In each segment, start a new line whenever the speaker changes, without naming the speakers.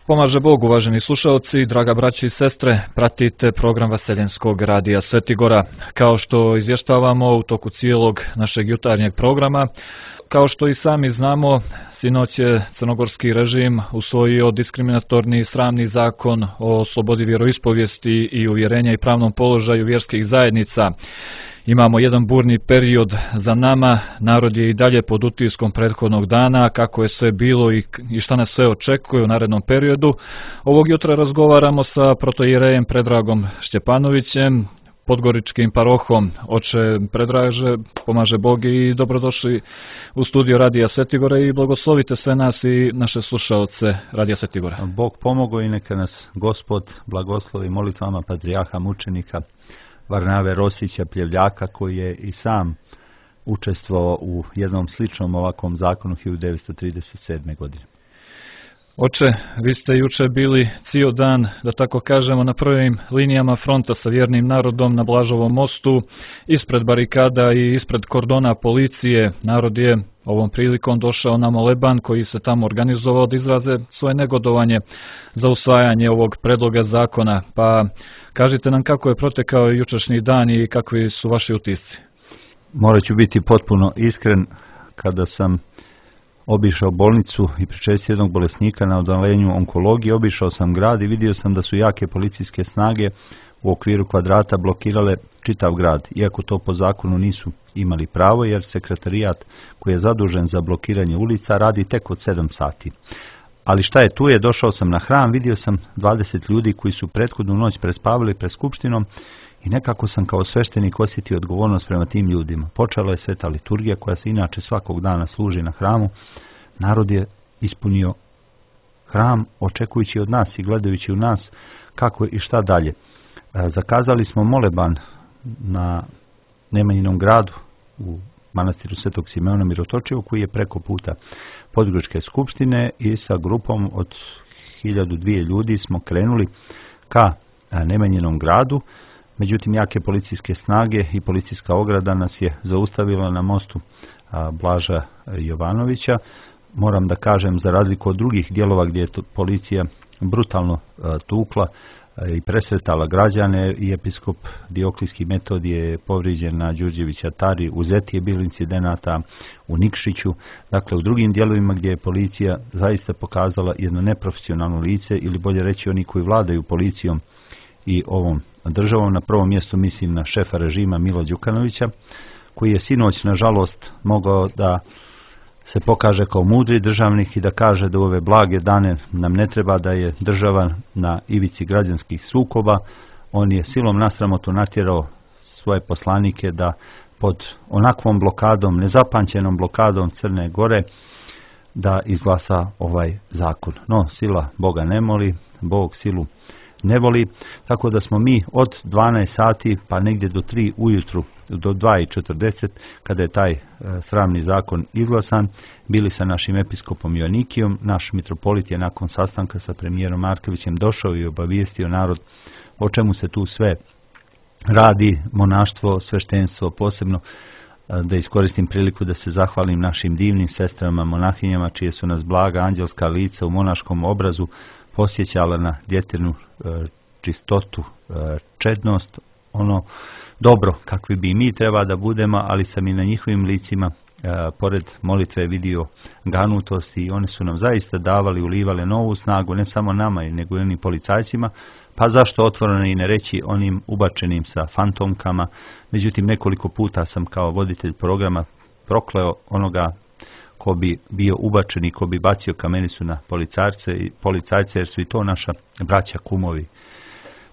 Pomaže Bog, uvaženi slušalci, draga braći i sestre, pratite program Vaseljenskog radija Svetigora. Kao što izvještavamo u toku cijelog našeg jutarnjeg programa, kao što i sami znamo, sinoć je crnogorski režim usvojio diskriminatorni sramni zakon o slobodi vjeroispovijesti i uvjerenja i pravnom položaju vjerskih zajednica. Imamo jedan burni period za nama, narod je i dalje pod utiskom prethodnog dana, kako je sve bilo i šta nas sve očekuje u narednom periodu. Ovog jutra razgovaramo sa protoijerejem Predragom Šćepanovićem, podgoričkim parohom. Oče Predraže, pomaže Bog i dobrodošli u studio Radija Svetigora i blagoslovite sve nas i naše slušaoce Radija Svetigora.
Bog pomogao i neka nas Gospod blagoslovi molitvama patrijarha mučenika Varnave Rosića Pljevljaka, koji je i sam učestvovao u jednom sličnom ovakvom zakonu 1937. godine.
Oče, vi ste juče bili cijel dan, da tako kažemo, na prvim linijama fronta sa vjernim narodom na Blažovom mostu, ispred barikada i ispred kordona policije. Narod je ovom prilikom došao na moleban koji se tamo organizovao da izraze svoje negodovanje za usvajanje ovog predloga zakona. Pa kažite nam kako je protekao jučerašnji dan i kakvi su vaši utisci.
Morat ću biti potpuno iskren, kada sam obišao bolnicu i pričestio jednog bolesnika na odalenju onkologije, obišao sam grad i vidio sam da su jake policijske snage u okviru kvadrata blokirale čitav grad, iako to po zakonu nisu imali pravo, jer sekretarijat koji je zadužen za blokiranje ulica radi tek od 7 sati. Ali šta je tu je, došao sam na hram, vidio sam 20 ljudi koji su prethodnu noć prespavali pred skupštinom i nekako sam kao sveštenik osjetio odgovornost prema tim ljudima. Počela je sveta liturgija koja se inače svakog dana služi na hramu. Narod je ispunio hram očekujući od nas i gledajući u nas kako i šta dalje. Zakazali smo moleban na Nemanjinom gradu u manastiru Svetog Simeona Mirotočijevu, koji je preko puta Podgoričke skupštine, i sa grupom od 1002 ljudi smo krenuli ka Nemanjinom gradu. Međutim, jake policijske snage i policijska ograda nas je zaustavila na mostu Blaža Jovanovića. Moram da kažem, za razliku od drugih dijelova gdje je policija brutalno tukla i presretala građane, i episkop Dioklijski Metod je povrijeđen na Đurđevića Tari, u Zeti je bilo incidenata, u Nikšiću. Dakle, u drugim dijelovima gdje je policija zaista pokazala jedno neprofesionalno lice, ili bolje reći oni koji vladaju policijom i ovom državom. Na prvom mjestu mislim na šefa režima Mila Đukanovića, koji je sinoć nažalost mogao da se pokaže kao mudri državnik i da kaže da u ove blage dane nam ne treba, da je država na ivici građanskih sukoba. On je silom na sramotu natjerao svoje poslanike da pod onakvom blokadom, nezapamćenom blokadom Crne Gore, da izglasa ovaj zakon. No, sila Boga ne moli, Bog silu ne voli, tako da smo mi od 12 sati pa negdje do 3 ujutru, do 2:40, kada je taj sramni zakon izglasan, bili sa našim episkopom Joanikijom. Naš mitropolit je nakon sastanka sa premijerom Markovićem došao i obavijestio narod o čemu se tu sve radi, monaštvo, sveštenstvo, posebno da iskoristim priliku da se zahvalim našim divnim sestrama, monahinjama, čije su nas blaga anđelska lica u monaškom obrazu posjećala na djetirnu čistotu, čednost, ono dobro kakvi bi mi treba da budemo, ali sam i na njihovim licima pored molitve vidio ganutost, i oni su nam zaista davali, ulivale novu snagu, ne samo nama, nego i onim policajcima. Pa zašto otvoreno i ne reći onim ubačenim sa fantomkama. Međutim, nekoliko puta sam kao voditelj programa prokleo onoga ko bi bio ubačen i ko bi bacio kamenicu na policajce, jer su i to naša braća kumovi.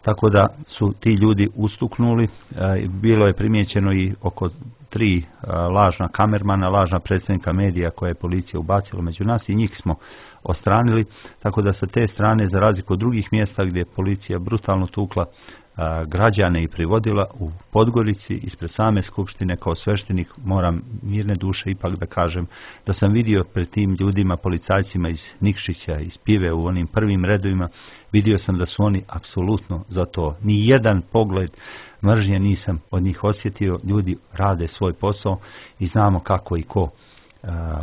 Tako da su ti ljudi ustuknuli. Bilo je primijećeno i oko 3 lažna kamermana, lažna predstavnika medija koje je policija ubacila među nas, i njih smo ostranili. Tako da sa te strane, za razliku od drugih mjesta gdje je policija brutalno tukla građane i privodila, u Podgorici ispred same skupštine kao sveštenik moram mirne duše ipak da kažem da sam vidio pred tim ljudima, policajcima iz Nikšića, iz Pive, u onim prvim redovima, vidio sam da su oni apsolutno za to. Ni jedan pogled mržnje nisam od njih osjetio. Ljudi rade svoj posao i znamo kako i ko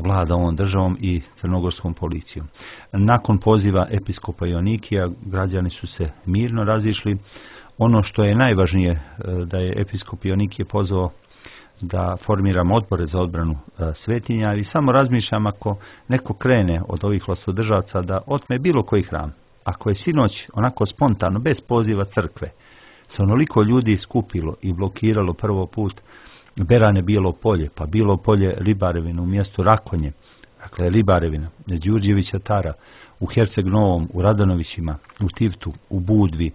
vlada ovom državom i crnogorskom policijom. Nakon poziva episkopa Joannikija građani su se mirno razišli. Ono što je najvažnije da je episkop Joannikije pozvao da formiramo odbore za odbranu svetinja i samo razmišljam ako neko krene od ovih vlastodržavaca da otme bilo koji hram. Ako je sinoć onako spontano, bez poziva crkve, se onoliko ljudi skupilo i blokiralo prvo put Berane Bijelo Polje, pa Bijelo Polje Ribarevina u mjestu Rakonje, dakle Ribarevina, Đurđevića Tara, u Herceg Novom, u Radanovićima, u Tivtu, u Budvi,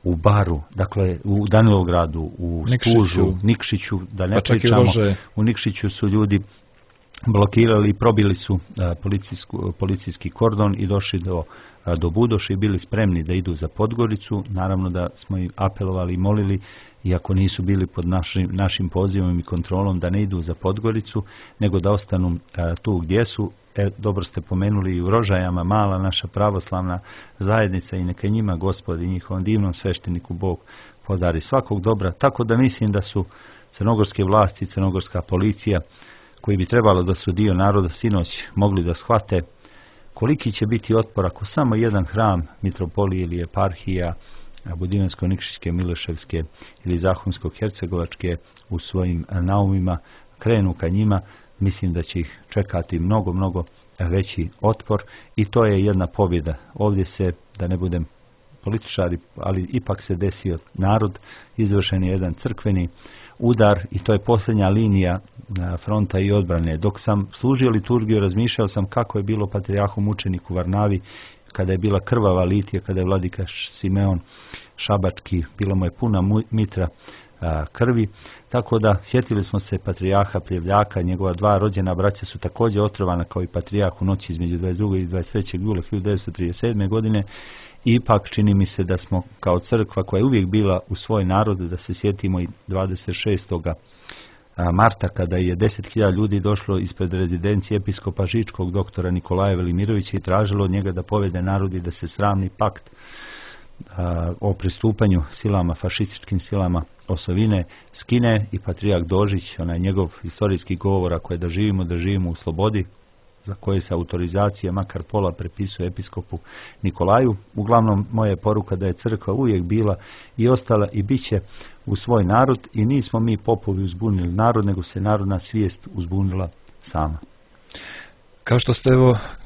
u Baru, dakle u Danilovgradu, u Tužu, Nikšiću, da ne pričamo, u Nikšiću su ljudi blokirali i probili su policijski kordon i došli do Budoša i bili spremni da idu za Podgoricu. Naravno da smo im apelovali i molili, iako nisu bili pod našim pozivom i kontrolom, da ne idu za Podgoricu, nego da ostanu tu gdje su. Dobro ste pomenuli i u Rožajama, mala naša pravoslavna zajednica, i neka njima Gospod i njihovom divnom svešteniku Bog podari svakog dobra. Tako da mislim da su crnogorske vlasti, crnogorska policija, koji bi trebalo da su dio naroda, sinoć mogli da shvate koliki će biti otpor ako samo jedan hram mitropolije ili eparhija Budivansko-Nikšićke, Mileševske ili Zahumsko-Hercegovačke u svojim naumima krenu ka njima. Mislim da će ih čekati mnogo veći otpor i to je jedna pobjeda. Ovdje se, da ne budem političari, ali ipak se desio narod, izvršen je jedan crkveni udar i to je posljednja linija fronta i odbrane. Dok sam služio liturgiju, razmišljao sam kako je bilo patrijarhu mučeniku Varnavi, kada je bila krvava litija, kada je vladika Simeon Šabački, bila mu je puna mitra krvi. Tako da sjetili smo se patrijarha Pljevljaka, njegova dva rođena braća su također otrovana kao i patrijarh u noći između 22. i 23. jula 1937. godine. I ipak čini mi se da smo kao crkva koja je uvijek bila u svoj narod, da se sjetimo i 26. marta kada je 10.000 ljudi došlo ispred rezidencije episkopa Žičkog doktora Nikolaja Velimirovića i tražilo od njega da povede narod i da se sramni pakt o pristupanju silama, fašističkim silama osovine skine i patrijarh Dožić, onaj njegov historijski govor, ako je da živimo u slobodi, za koje se autorizacija makar pola prepisuje episkopu Nikolaju. Uglavnom, moja je poruka da je crkva uvijek bila i ostala i bit će u svoj narod i nismo mi popovi uzbunili narod, nego se narodna svijest uzbunila sama.
Kao što ste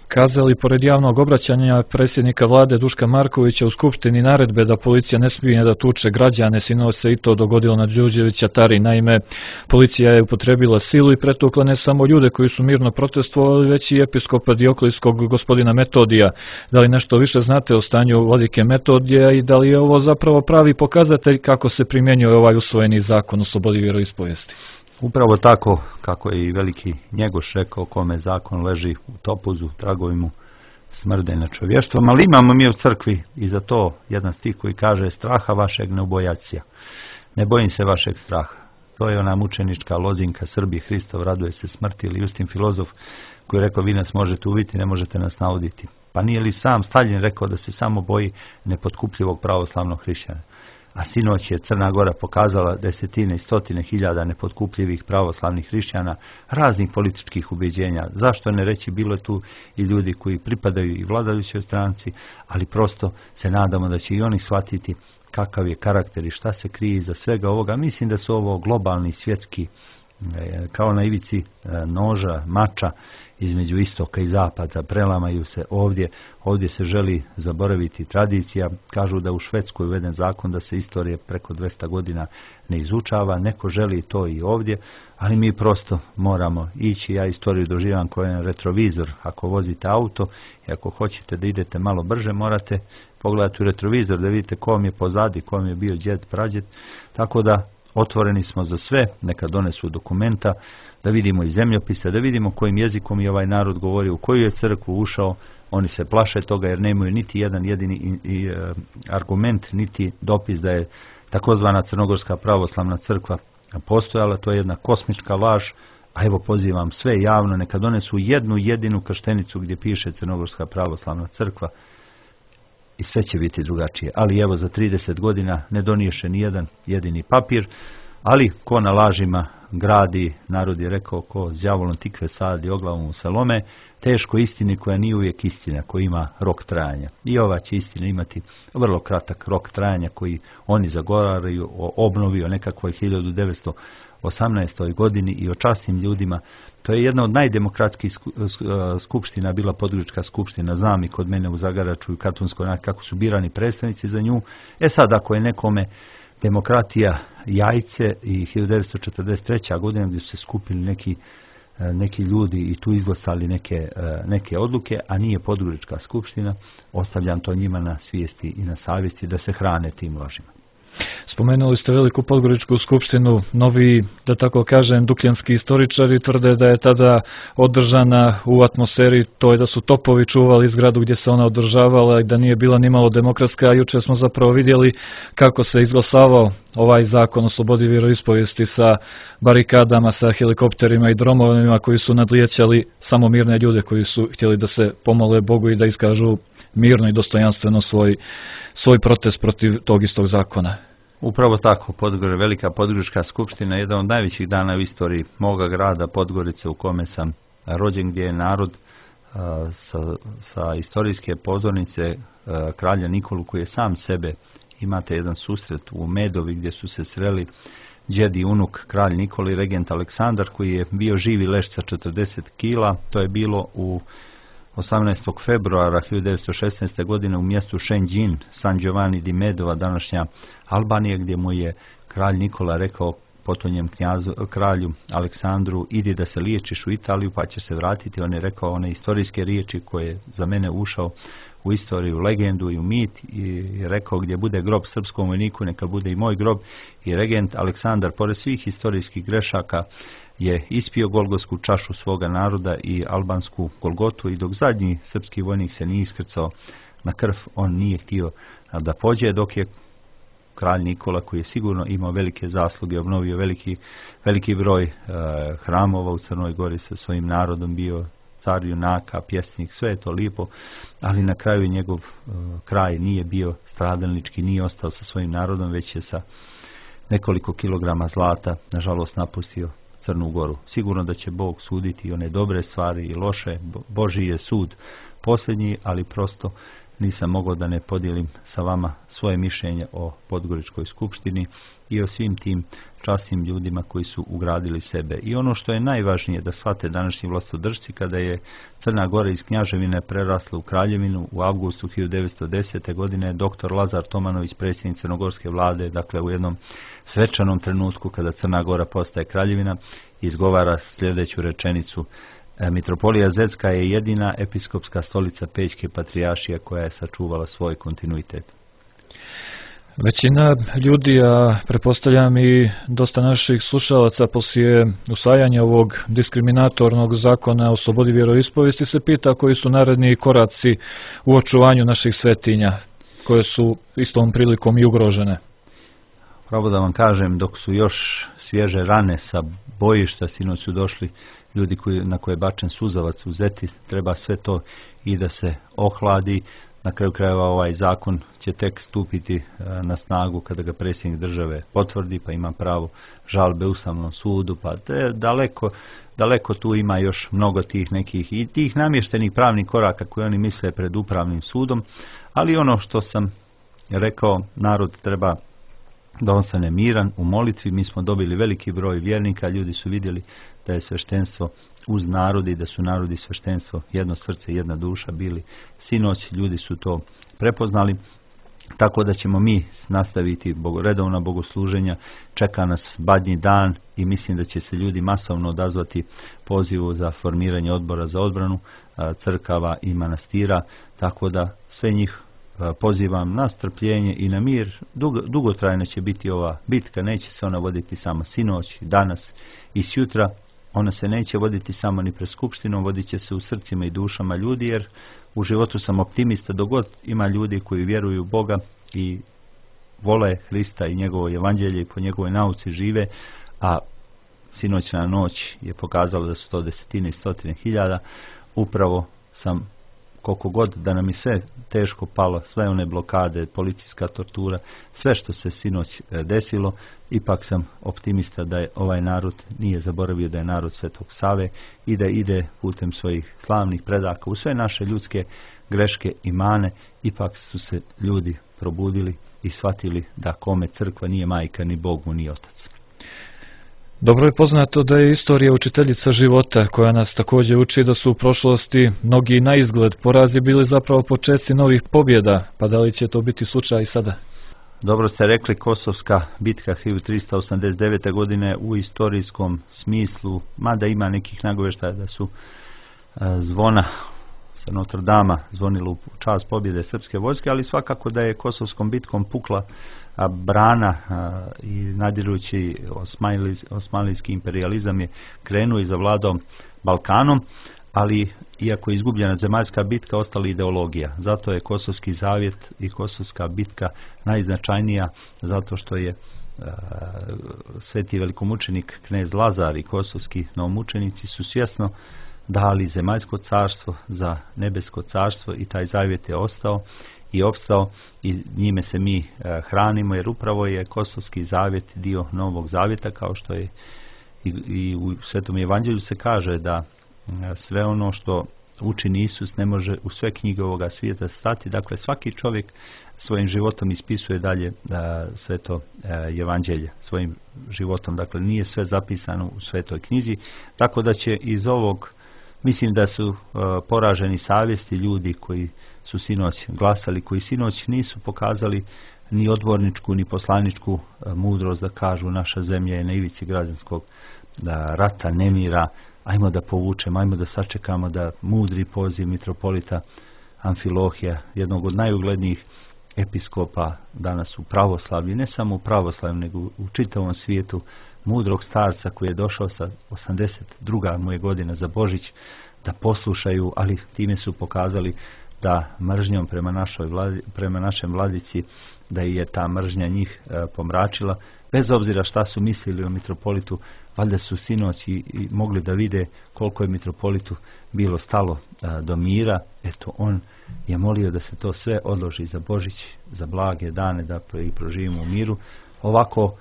kazali, pored javnog obraćanja predsjednika vlade Duška Markovića u Skupštini naredbe da policija ne smije da tuče građane, sinoć se i to dogodilo na Đurđevića Tari. Naime, policija je upotrebila silu i pretukla ne samo ljude koji su mirno protestovali, već i episkopa Dioklijskog gospodina Metodija. Da li nešto više znate o stanju vladike Metodija i da li je ovo zapravo pravi pokazatelj kako se primjenjuje ovaj usvojeni zakon o slobodi vjeroispovijesti?
Upravo tako kako je i veliki Njegoš rekao, kome zakon leži u topuzu, tragovi mu smrde na čovještvom, ali imamo mi u crkvi i za to jedan stih koji kaže: straha vašeg ne ubojacija, ne bojim se vašeg straha. To je ona mučenička lozinka Srbi, Hristov raduje se smrti, ili Justin filozof koji je rekao: vi nas možete ubiti, ne možete nas nauditi. Pa nije li sam Staljin rekao da se samo boji nepotkupljivog pravoslavnog hrišćana? A sinoć je Crna Gora pokazala desetine i stotine hiljada nepotkupljivih pravoslavnih hrišćana raznih političkih ubjeđenja. Zašto ne reći, bilo je tu i ljudi koji pripadaju i vladajućoj stranci, ali prosto se nadamo da će i oni shvatiti kakav je karakter i šta se krije iza svega ovoga. Mislim da su ovo globalni, svjetski, kao na ivici noža, mača između istoka i zapada, prelamaju se ovdje. Ovdje se želi zaboraviti tradicija. Kažu da u Švedskoj uveden zakon da se istorija preko 200 godina ne izučava. Neko želi to i ovdje, ali mi prosto moramo ići. Ja istoriju doživam kao jedan retrovizor. Ako vozite auto i ako hoćete da idete malo brže, morate pogledati u retrovizor da vidite ko vam je pozadi, ko vam je bio djed, prađed. Tako da otvoreni smo za sve, neka donesu dokumenta, da vidimo i zemljopise, da vidimo kojim jezikom je ovaj narod govorio, u koju je crkvu ušao. Oni se plaše toga jer nemaju niti jedan jedini argument, niti dopis da je takozvana Crnogorska pravoslavna crkva postojala. To je jedna kosmička laž, a evo pozivam sve javno, neka donesu jednu jedinu krštenicu gdje piše Crnogorska pravoslavna crkva i sve će biti drugačije. Ali evo, za 30 godina ne doniješe ni jedan jedini papir, ali ko na lažima gradi, narod je rekao ko đavolom tikve sadi, oglavom u salome, teško istini koja nije uvijek istina, koja ima rok trajanja. I ova će istina imati vrlo kratak rok trajanja koji oni zagovaraju o obnovi o nekakvoj 1918. godini i o časnim ljudima. To je jedna od najdemokratskih skupština, bila Podgorička skupština, znam i kod mene u Zagaraču i Katunskoj, kako su birani predstavnici za nju. Sad, ako je nekome demokratija jajce i 1943. godina gdje su se skupili neki ljudi i tu izglasali neke odluke, a nije Podgorička skupština, ostavljam to njima na svijesti i na savjesti da se hrane tim lažima.
Spomenuli ste Veliku Podgoričku skupštinu, novi, da tako kažem, dukljanski istoričari tvrde da je tada održana u atmosferi, to je da su topovi čuvali zgradu gdje se ona održavala i da nije bila nimalo demokratska, a jučer smo zapravo vidjeli kako se izglasavao ovaj zakon o slobodi vjeroispovijesti sa barikadama, sa helikopterima i dronovima koji su nadlijećali samo mirne ljude koji su htjeli da se pomole Bogu i da iskažu mirno i dostojanstveno svoj protest protiv tog istog zakona.
Upravo tako, Velika Podgorička skupština je jedan od najvećih dana u istoriji moga grada Podgorice u kome sam rođen, gdje je narod sa istorijske pozornice kralja Nikolu, koji je sam sebe, imate jedan susret u Medovi gdje su se sreli djed i unuk kralj Nikoli i regent Aleksandar, koji je bio živi leš sa 40 kila. To je bilo u 18. februara 1916. godine u mjestu Šenđin, San Giovanni di Medova, današnja Albanija, gdje mu je kralj Nikola rekao potonjem kralju Aleksandru, idi da se liječiš u Italiju pa će se vratiti. On je rekao one istorijske riječi koje je za mene ušao u istoriju, legendu i u mit, i rekao gdje bude grob srpskom vojniku neka bude i moj grob. I regent Aleksandar, pored svih historijskih grešaka, je ispio golgotsku čašu svoga naroda i albansku Golgotu, i dok zadnji srpski vojnik se nije iskrcao na krv, on nije htio da pođe, dok je kralj Nikola, koji je sigurno imao velike zasluge, obnovio veliki broj hramova u Crnoj Gori, sa svojim narodom bio car junaka, pjesnik, sve je to lijepo, ali na kraju njegov kraj nije bio stradalnički, nije ostao sa svojim narodom, već je sa nekoliko kilograma zlata nažalost napustio Crnu Goru. Sigurno da će Bog suditi one dobre stvari i loše. Božji je sud posljednji, ali prosto nisam mogao da ne podijelim sa vama svoje mišljenje o Podgoričkoj skupštini i o svim tim časnim ljudima koji su ugradili sebe. I ono što je najvažnije da shvate današnji vlastodržci, kada je Crna Gora iz knjaževine prerasla u kraljevinu u avgustu 1910. godine, dr. Lazar Tomanović, predsjednik crnogorske vlade, dakle u jednom svečanom trenutku kada Crna Gora postaje kraljevina, izgovara sljedeću rečenicu: Mitropolija Zecka je jedina episkopska stolica Pećke patrijaršije koja je sačuvala svoj kontinuitet.
Većina ljudi, a pretpostavljam i dosta naših slušalaca, poslije usvajanja ovog diskriminatornog zakona o slobodi vjeroispovijesti se pita koji su naredni koraci u očuvanju naših svetinja, koje su istom prilikom i ugrožene.
Pravo da vam kažem, dok su još svježe rane sa bojišta, sinoć su došli ljudi na koje je bačen suzavac u Zeti, treba sve to i da se ohladi. Na kraju krajeva ovaj zakon će tek stupiti na snagu kada ga predsjednik države potvrdi, pa ima pravo žalbe Ustavnom sudu, pa daleko tu ima još mnogo tih nekih i tih namještenih pravnih koraka koje oni misle pred upravnim sudom, ali ono što sam rekao, narod treba da ostane miran u molitvi. Mi smo dobili veliki broj vjernika, ljudi su vidjeli da je sveštenstvo uz narod i da su narod i sveštenstvo jedno srce, jedna duša bili. Sinoć ljudi su to prepoznali, tako da ćemo mi nastaviti redovna bogosluženja. Čeka nas Badnji dan i mislim da će se ljudi masovno odazvati pozivu za formiranje odbora za odbranu crkava i manastira, tako da sve njih pozivam na strpljenje i na mir. Dugotrajna će biti ova bitka, neće se ona voditi samo sinoć, danas i sjutra. Ona se neće voditi samo ni pred skupštinom, vodit će se u srcima i dušama ljudi, jer u životu sam optimista dok god ima ljudi koji vjeruju u Boga i vole Hrista i njegovo evanđelje i po njegovoj nauci žive, a sinoćna noć je pokazala da su to desetine i stotine hiljada. Upravo sam koliko god da nam je sve teško palo, sve one blokade, policijska tortura, sve što se sinoć desilo, ipak sam optimista da je ovaj narod nije zaboravio da je narod Svetog Save i da ide putem svojih slavnih predaka u sve naše ljudske greške i mane. Ipak su se ljudi probudili i shvatili da kome crkva nije majka, ni Bog mu nije otac.
Dobro je poznato da je istorija učiteljica života, koja nas također uči da su u prošlosti mnogi na izgled porazi bili zapravo početci novih pobjeda, pa da li će to biti slučaj i sada?
Dobro ste rekli, Kosovska bitka 1389. godine u istorijskom smislu, mada ima nekih nagoveštaja da su zvona sa Notre Dama zvonilo u čast pobjede srpske vojske, ali svakako da je Kosovskom bitkom pukla brana i nadirući osmanlijski imperializam je krenuo i zavladao Balkanom, ali iako je izgubljena zemaljska bitka, ostala ideologija. Zato je Kosovski zavjet i Kosovska bitka najznačajnija, zato što je sveti velikomučenik knez Lazar i kosovski novomučenici su svjesno dali zemaljsko carstvo za nebesko carstvo i taj zavjet je ostao i opstao i njime se mi hranimo, jer upravo je Kosovski zavjet dio Novog zavjeta, kao što je i u Svetom evanđelju se kaže da sve ono što učini Isus ne može u sve knjige ovoga svijeta stati. Dakle, svaki čovjek svojim životom ispisuje dalje Sveto evanđelje, svojim životom. Dakle, nije sve zapisano u Svetoj knjizi, tako da će iz ovog, mislim da su poraženi savjesti ljudi koji su sinoć glasali, koji sinoć nisu pokazali ni odborničku ni poslaničku mudrost da kažu naša zemlja je na ivici građanskog rata, nemira, ajmo da povučemo, ajmo da sačekamo da mudri poziv mitropolita Amfilohija, jednog od najuglednijih episkopa danas u pravoslavlju, ne samo u pravoslavlju nego u čitavom svijetu, mudrog starca koji je došao sa 82. mu je godina za Božić, da poslušaju, ali time su pokazali da mržnjom prema našem vladici, da je ta mržnja njih pomračila, bez obzira šta su mislili o mitropolitu, valjda su sinoć i mogli da vide koliko je mitropolitu bilo stalo do mira. Eto, on je molio da se to sve odloži za Božić, za blage dane, da i proživimo u miru. Ovako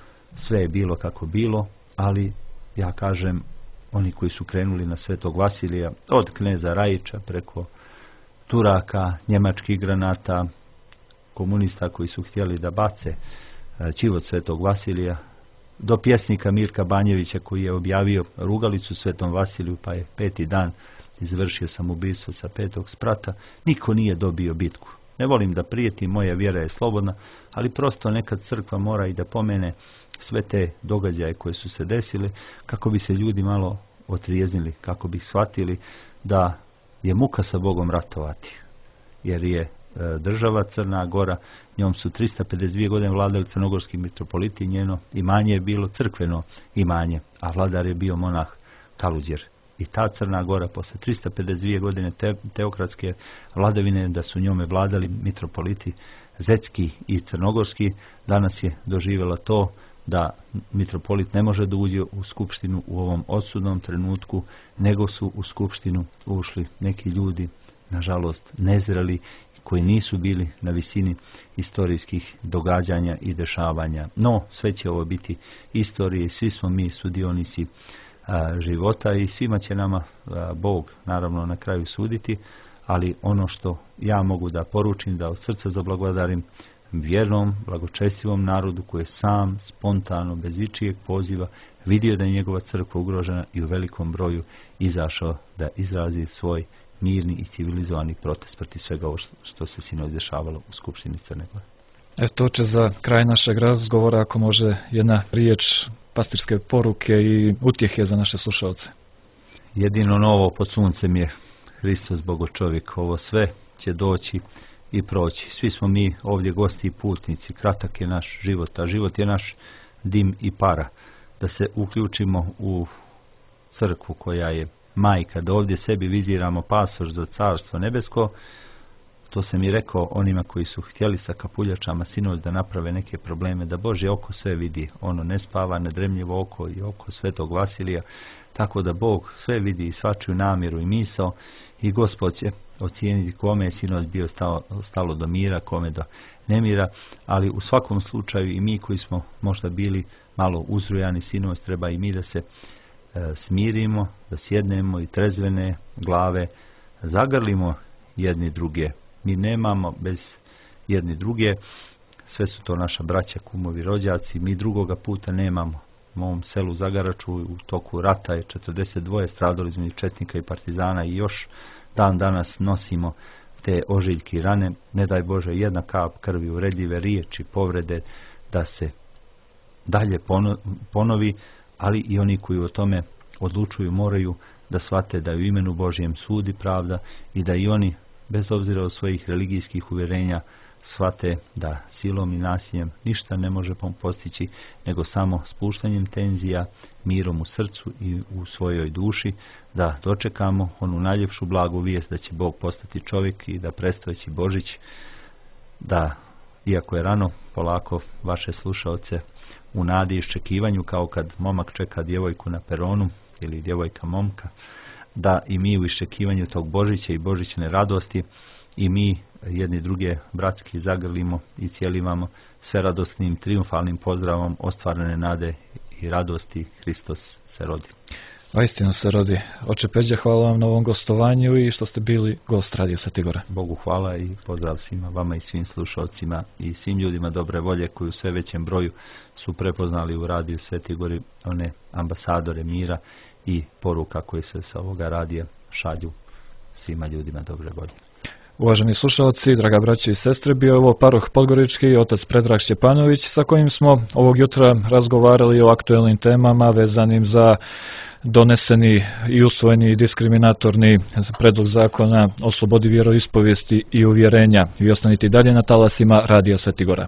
sve je bilo kako bilo, ali ja kažem, oni koji su krenuli na Svetog Vasilija, od kneza Rajića preko Turaka, njemačkih granata, komunista koji su htjeli da bace čivot Svetog Vasilija, do pjesnika Mirka Banjevića koji je objavio rugalicu Svetom Vasiliju, pa je 5. dan izvršio samoubistvo sa 5. sprata, niko nije dobio bitku. Ne volim da prijetim, moja vjera je slobodna, ali prosto nekad crkva mora i da pomene sve te događaje koje su se desile, kako bi se ljudi malo otrijeznili, kako bi shvatili da je muka sa Bogom ratovati, jer je država Crna Gora, njom su 352 godine vladali crnogorski mitropoliti, njeno imanje je bilo crkveno imanje, a vladar je bio monah Kaluđer. I ta Crna Gora posle 352 godine teokratske vladavine, da su njome vladali mitropoliti Zetski i Crnogorski, danas je doživjela to da mitropolit ne može da uđe u skupštinu u ovom odsudnom trenutku, nego su u skupštinu ušli neki ljudi, nažalost nezreli, koji nisu bili na visini istorijskih događanja i dešavanja. No, sve će ovo biti istorije, svi smo mi sudionici života i svima će nama Bog naravno na kraju suditi, ali ono što ja mogu da poručim, da od srca zablagodarim vjernom, blagočestivom narodu koji je sam, spontano, bez ičijeg poziva, vidio da je njegova crkva ugrožena i u velikom broju izašao da izrazi svoj mirni i civilizovani protest protiv svega ovo što se sinoć dešavalo u Skupštini Crne Gore.
Eto će za kraj našeg razgovora, ako može jedna riječ pastirske poruke i utjehe za naše slušalce.
Jedino novo pod suncem je Hristos Bogočovjek. Ovo sve će doći i proći. Svi smo mi ovdje gosti i putnici. Kratak je naš život, a život je naš dim i para. Da se uključimo u crkvu koja je majka, da ovdje sebi viziramo pasoš za carstvo nebesko. To sam i rekao onima koji su htjeli sa kapuljačama sinoć da naprave neke probleme, da Božje oko sve vidi. Ono ne spava, nedremljivo oko i oko Svetog Vasilija, tako da Bog sve vidi i svačiju namjeru i misao i Gospod će ocijeniti kome je sinoć bio stalo do mira, kome do nemira, ali u svakom slučaju i mi koji smo možda bili malo uzrujani sinoć, treba i mi da se smirimo, da sjednemo i trezvene glave zagrlimo jedni druge. Mi nemamo bez jedni druge, sve su to naša braća, kumovi, rođaci, mi drugoga puta nemamo. U mom selu Zagaraču u toku rata je 42 stradalo između četnika i partizana i još dan danas nosimo te ožiljke i rane. Ne daj Bože jedna kap krvi, uvredljive riječi, povrede da se dalje ponovi, ali i oni koji o tome odlučuju moraju da shvate da je u imenu Božjem sudi pravda i da i oni, bez obzira od svojih religijskih uvjerenja, shvate da silom i nasiljem ništa ne može postići, nego samo spuštanjem tenzija, mirom u srcu i u svojoj duši, da dočekamo onu najljepšu blagu vijest da će Bog postati čovjek i da predstavljaći Božić, da, iako je rano, polako vaše slušaoce u nadi i iščekivanju, kao kad momak čeka djevojku na peronu ili djevojka momka, da i mi u iščekivanju tog Božića i božićne radosti i mi jedni druge bratski zagrlimo i cijelivamo sve radosnim, triumfalnim pozdravom ostvarene nade i radosti. Hristos se rodi.
Istinu se rodi. Oče Peđa, hvala vam na ovom gostovanju i što ste bili gost Radio Sveti Gora.
Bogu hvala i pozdrav svima vama i svim slušalcima i svim ljudima dobre volje koji u sve većem broju su prepoznali u Radio Sveti Gori one ambasadore mira i poruka koje se sa ovoga radija šalju svima ljudima dobre volje.
Uvaženi slušalci, draga braće i sestre, bio je ovo paroh Podgorički i otac Predrag Šćepanović sa kojim smo ovog jutra razgovarali o aktuelnim temama vezanim za doneseni i usvojeni diskriminatorni predlog zakona o slobodi vjeroispovijesti i uvjerenja. I ostanite dalje na talasima Radija Sveti Gora.